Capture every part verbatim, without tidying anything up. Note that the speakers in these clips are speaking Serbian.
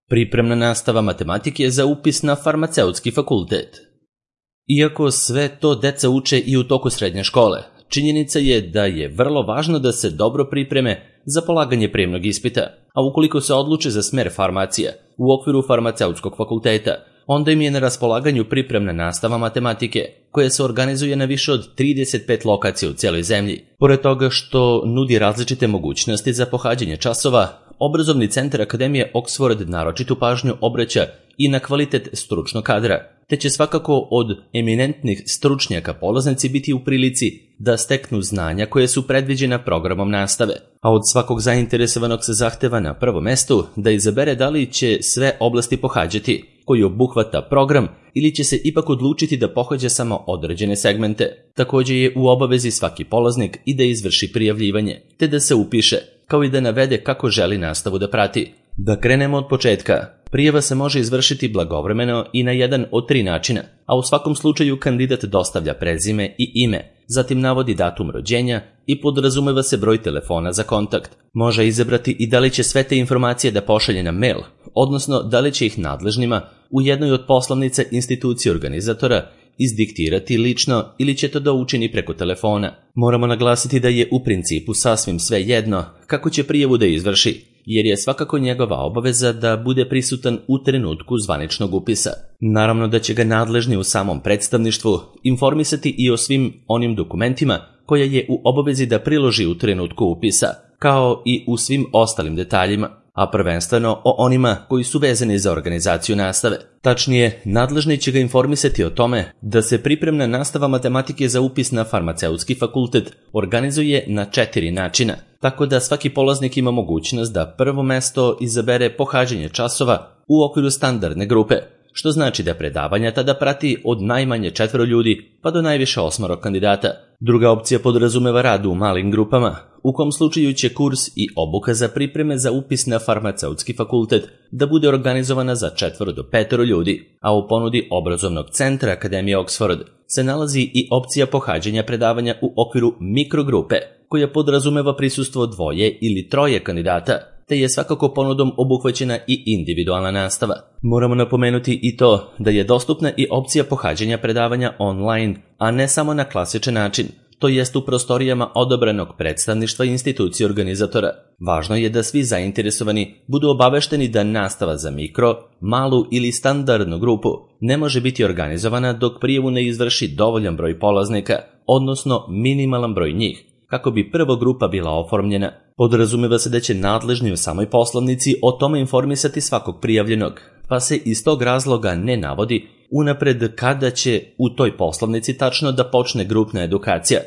Pripremna nastava matematike za upis na farmaceutski fakultet. Iako sve to deca uče i u toku srednje škole, činjenica je da je vrlo važno da se dobro pripreme za polaganje prijemnog ispita, a ukoliko se odluče za smer farmacija u okviru farmaceutskog fakulteta, onda im je na raspolaganju pripremna nastava matematike, koja se organizuje na više od trideset pet lokacija u cijeloj zemlji. Pored toga što nudi različite mogućnosti za pohađanje časova, Obrazovni centar Akademije Oxford naročitu pažnju obraća i na kvalitet stručnog kadra, te će svakako od eminentnih stručnjaka polaznici biti u prilici da steknu znanja koje su predviđena programom nastave, a od svakog zainteresovanog se zahteva na prvom mestu da izabere da li će sve oblasti pohađati, koji obuhvata program, ili će se ipak odlučiti da pohađa samo određene segmente. Također je u obavezi svaki polaznik i da izvrši prijavljivanje, te da se upiše, kao i da navede kako želi nastavu da prati. Da krenemo od početka. Prijava se može izvršiti blagovremeno i na jedan od tri načina, a u svakom slučaju kandidat dostavlja prezime i ime, zatim navodi datum rođenja i podrazumeva se broj telefona za kontakt. Može izabrati i da li će sve te informacije da pošalje na mail, odnosno da li će ih nadležnima u jednoj od poslovnica institucije organizatora izdiktirati lično ili će to da učini preko telefona. Moramo naglasiti da je u principu sasvim sve jedno kako će prijavu da izvrši, jer je svakako njegova obaveza da bude prisutan u trenutku zvaničnog upisa. Naravno da će ga nadležni u samom predstavništvu informisati i o svim onim dokumentima koje je u obavezi da priloži u trenutku upisa, kao i u svim ostalim detaljima, a prvenstveno o onima koji su vezani za organizaciju nastave. Tačnije, nadležni će ga informisati o tome da se pripremna nastava matematike za upis na farmaceutski fakultet organizuje na četiri načina, tako da svaki polaznik ima mogućnost da prvo mesto izabere pohađanje časova u okviru standardne grupe, što znači da predavanja tada prati od najmanje četvero ljudi pa do najviše osmoro kandidata. Druga opcija podrazumeva rad u malim grupama, u kom slučaju će kurs i obuka za pripreme za upis na farmaceutski fakultet da bude organizovana za četvoro do petoro ljudi, a u ponudi Obrazovnog centra Akademije Oxford se nalazi i opcija pohađanja predavanja u okviru mikrogrupe, koja podrazumeva prisustvo dvoje ili troje kandidata, te je svakako ponudom obuhvaćena i individualna nastava. Moramo napomenuti i to da je dostupna i opcija pohađanja predavanja online, a ne samo na klasičan način, to jest u prostorijama odabranog predstavništva institucije organizatora. Važno je da svi zainteresovani budu obavešteni da nastava za mikro, malu ili standardnu grupu ne može biti organizovana dok prijavu ne izvrši dovoljan broj polaznika, odnosno minimalan broj njih, kako bi prva grupa bila oformljena. Podrazumeva se da će nadležni u samoj poslovnici o tome informisati svakog prijavljenog, pa se iz tog razloga ne navodi unapred kada će u toj poslovnici tačno da počne grupna edukacija,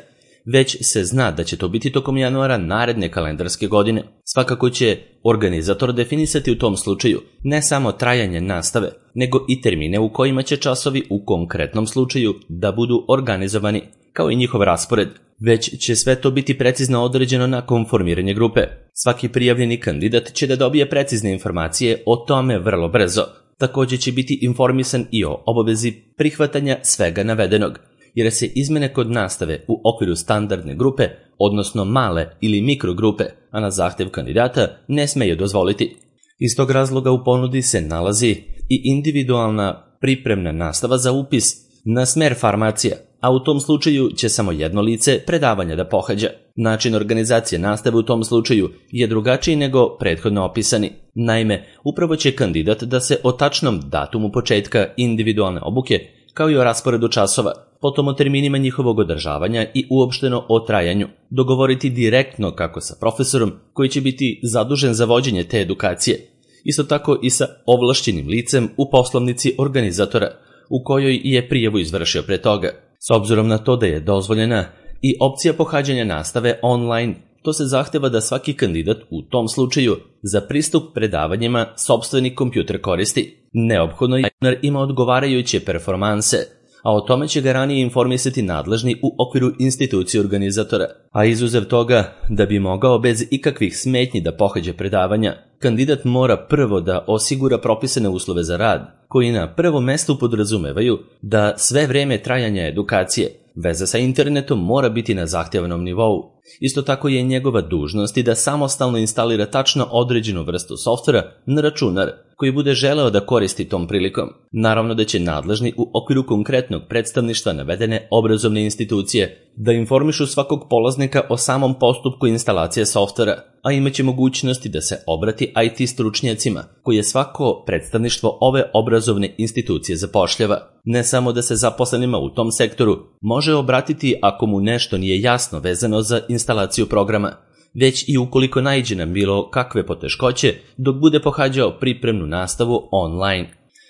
već se zna da će to biti tokom januara naredne kalendarske godine. Svakako će organizator definisati u tom slučaju ne samo trajanje nastave, nego i termine u kojima će časovi u konkretnom slučaju da budu organizovani, kao i njihov raspored. Već će sve to biti precizno određeno nakon formiranja grupe. Svaki prijavljeni kandidat će da dobije precizne informacije o tome vrlo brzo. Također će biti informisan i o obavezi prihvatanja svega navedenog, jer se izmene kod nastave u okviru standardne grupe, odnosno male ili mikrogrupe, a na zahtjev kandidata ne smeju dozvoliti. Iz tog razloga u ponudi se nalazi i individualna pripremna nastava za upis na smer farmacija, a u tom slučaju će samo jedno lice predavanja da pohađa. Način organizacije nastave u tom slučaju je drugačiji nego prethodno opisani. Naime, upravo će kandidat da se o tačnom datumu početka individualne obuke, kao i o rasporedu časova, potom o terminima njihovog održavanja i uopšteno o trajanju, dogovoriti direktno kako sa profesorom koji će biti zadužen za vođenje te edukacije, isto tako i sa ovlašćenim licem u poslovnici organizatora, u kojoj je prijavu izvršio pre toga. S obzirom na to da je dozvoljena i opcija pohađanja nastave online, to se zahteva da svaki kandidat u tom slučaju za pristup predavanjima sopstveni kompjuter koristi. Neophodno je da ima odgovarajuće performanse, a o tome će ga ranije informisati nadležni u okviru institucije organizatora. A izuzev toga, da bi mogao bez ikakvih smetnji da pohađa predavanja, kandidat mora prvo da osigura propisane uslove za rad, koji na prvom mestu podrazumevaju da sve vreme trajanja edukacije veza sa internetom mora biti na zahtjevanom nivou. Isto tako je njegova dužnost i da samostalno instalira tačno određenu vrstu softvera na računar koji bude želeo da koristi tom prilikom. Naravno da će nadležni u okviru konkretnog predstavništva navedene obrazovne institucije da informišu svakog polaznika o samom postupku instalacije softvera, a imaće mogućnosti da se obrati I T stručnjacima koje svako predstavništvo ove obrazovne institucije zapošljava. Ne samo da se zaposlenima u tom sektoru može obratiti ako mu nešto nije jasno vezano za instalaciju programa, već i ukoliko naiđe na bilo kakve poteškoće dok bude pohađao pripremnu nastavu online.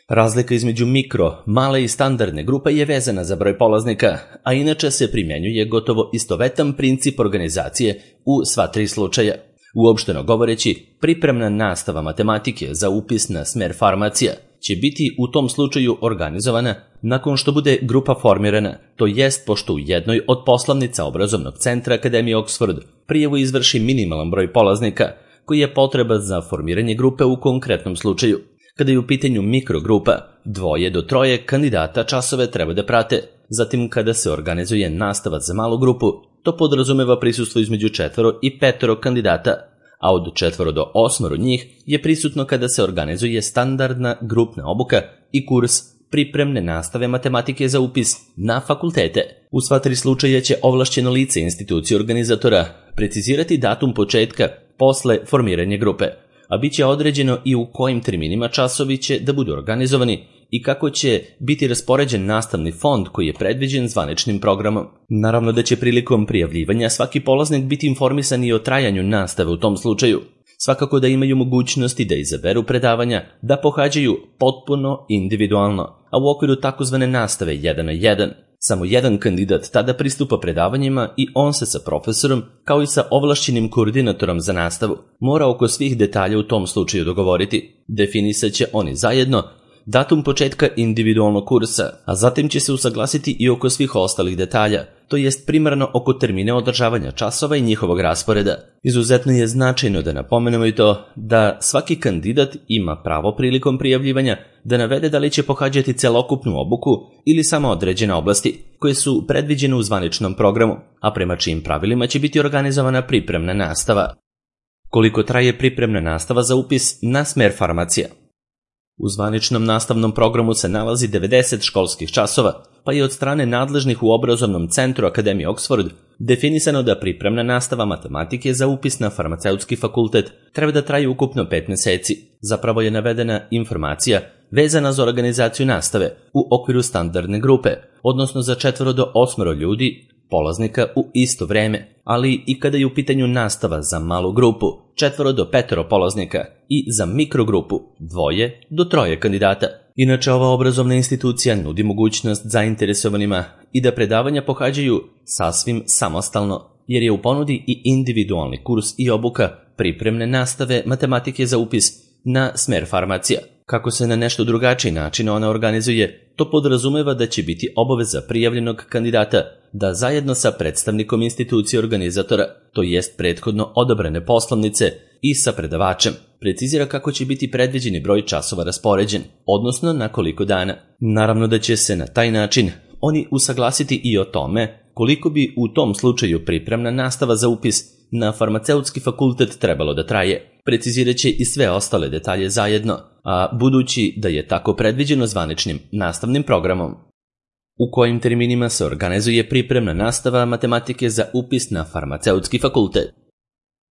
Razlika između mikro, male i standardne grupe je vezana za broj polaznika, a inače se primjenjuje gotovo istovetan princip organizacije u sva tri slučaja. Uopšteno govoreći, pripremna nastava matematike za upis na smer farmacija će biti u tom slučaju organizovana nakon što bude grupa formirana, to jest pošto u jednoj od poslovnica obrazovnog centra Akademije Oxford prijavu izvrši minimalan broj polaznika koji je potreban za formiranje grupe u konkretnom slučaju. Kada je u pitanju mikrogrupa, dvoje do troje kandidata časove treba da prate. Zatim kada se organizuje nastava za malu grupu, to podrazumeva prisustvo između četvoro i petoro kandidata, a od četvoro do osmoro njih je prisutno kada se organizuje standardna grupna obuka i kurs pripremne nastave matematike za upis na fakultete. U sva tri slučaja će ovlašćeno lice institucije organizatora precizirati datum početka posle formiranja grupe, a bit će određeno i u kojim terminima časovi će da budu organizovani i kako će biti raspoređen nastavni fond koji je predviđen zvaničnim programom. Naravno da će prilikom prijavljivanja svaki polaznik biti informisan i o trajanju nastave u tom slučaju. Svakako da imaju mogućnosti da izaberu predavanja da pohađaju potpuno individualno, a u okviru takozvane nastave jedan na jedan. Samo jedan kandidat tada pristupa predavanjima i on se sa profesorom, kao i sa ovlašćenim koordinatorom za nastavu, mora oko svih detalja u tom slučaju dogovoriti. Definisat će oni zajedno datum početka individualnog kursa, a zatim će se usaglasiti i oko svih ostalih detalja, to jest primarno oko termine održavanja časova i njihovog rasporeda. Izuzetno je značajno da napomenemo i to da svaki kandidat ima pravo prilikom prijavljivanja da navede da li će pohađati celokupnu obuku ili samo određene oblasti koje su predviđene u zvaničnom programu, a prema čijim pravilima će biti organizovana pripremna nastava. Koliko traje pripremna nastava za upis na smer farmacija? U zvaničnom nastavnom programu se nalazi devedeset školskih časova, pa je od strane nadležnih u obrazovnom centru Akademije Oxford definisano da pripremna nastava matematike za upis na farmaceutski fakultet treba da traje ukupno pet meseci. Zapravo je navedena informacija vezana za organizaciju nastave u okviru standardne grupe, odnosno za četvoro do osmoro ljudi, polaznika u isto vreme, ali i kada je u pitanju nastava za malu grupu, četvoro do petoro polaznika, i za mikrogrupu, dvoje do troje kandidata. Inače, ova obrazovna institucija nudi mogućnost zainteresovanima i da predavanja pohađaju sasvim samostalno, jer je u ponudi i individualni kurs i obuka pripremne nastave matematike za upis na smer farmacija. Kako se na nešto drugačiji način ona organizuje, to podrazumeva da će biti obaveza prijavljenog kandidata da zajedno sa predstavnikom institucije organizatora, to jest prethodno odabrane poslovnice, i sa predavačem, precizira kako će biti predviđeni broj časova raspoređen, odnosno na koliko dana. Naravno da će se na taj način oni usaglasiti i o tome koliko bi u tom slučaju pripremna nastava za upis na farmaceutski fakultet trebalo da traje. Precizirat će i sve ostale detalje zajedno, a budući da je tako predviđeno zvaničnim nastavnim programom. U kojim terminima se organizuje pripremna nastava matematike za upis na farmaceutski fakultet?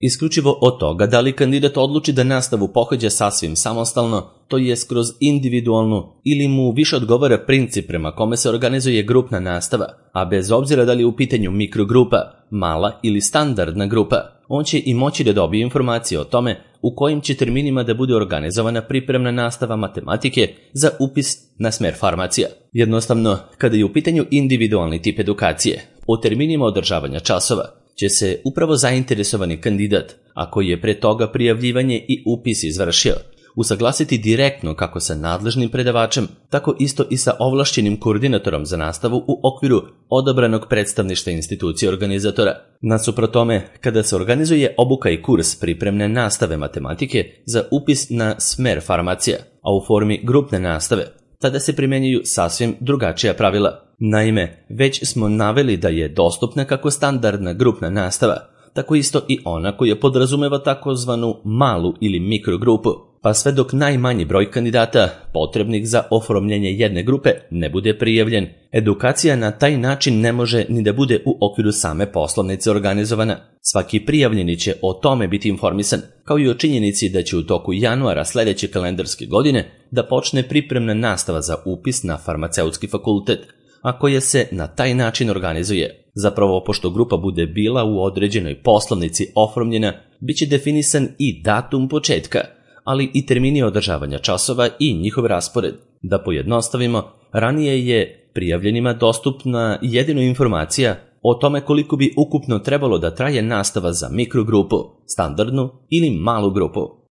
Isključivo od toga da li kandidat odluči da nastavu pohađa sasvim samostalno, to je kroz individualnu, ili mu više odgovara princip prema kome se organizuje grupna nastava, a bez obzira da li je u pitanju mikrogrupa, mala ili standardna grupa, on će i moći da dobije informacije o tome u kojim će terminima da bude organizovana pripremna nastava matematike za upis na smer farmacija. Jednostavno, kada je u pitanju individualni tip edukacije, o terminima održavanja časova će se upravo zainteresovani kandidat, ako je pre toga prijavljivanje i upis izvršio, usaglasiti direktno kako sa nadležnim predavačem, tako isto i sa ovlašćenim koordinatorom za nastavu u okviru odabranog predstavništva institucije organizatora. Nasuprot tome, kada se organizuje obuka i kurs pripremne nastave matematike za upis na smer farmacija, a u formi grupne nastave, tada se primjenjuju sasvim drugačija pravila. Naime, već smo naveli da je dostupna kako standardna grupna nastava, tako isto i ona koja podrazumeva takozvanu malu ili mikrogrupu, pa sve dok najmanji broj kandidata potrebnih za oformljenje jedne grupe ne bude prijavljen, edukacija na taj način ne može ni da bude u okviru same poslovnice organizovana. Svaki prijavljeni će o tome biti informisan, kao i o činjenici da će u toku januara sledeće kalendarske godine da počne pripremna nastava za upis na farmaceutski fakultet, a koja se na taj način organizuje. Zapravo, pošto grupa bude bila u određenoj poslovnici oformljena, bit će definisan i datum početka, ali i termini održavanja časova i njihov raspored. Da pojednostavimo, ranije je prijavljenima dostupna jedino informacija o tome koliko bi ukupno trebalo da traje nastava za mikrogrupu, standardnu ili malu grupu.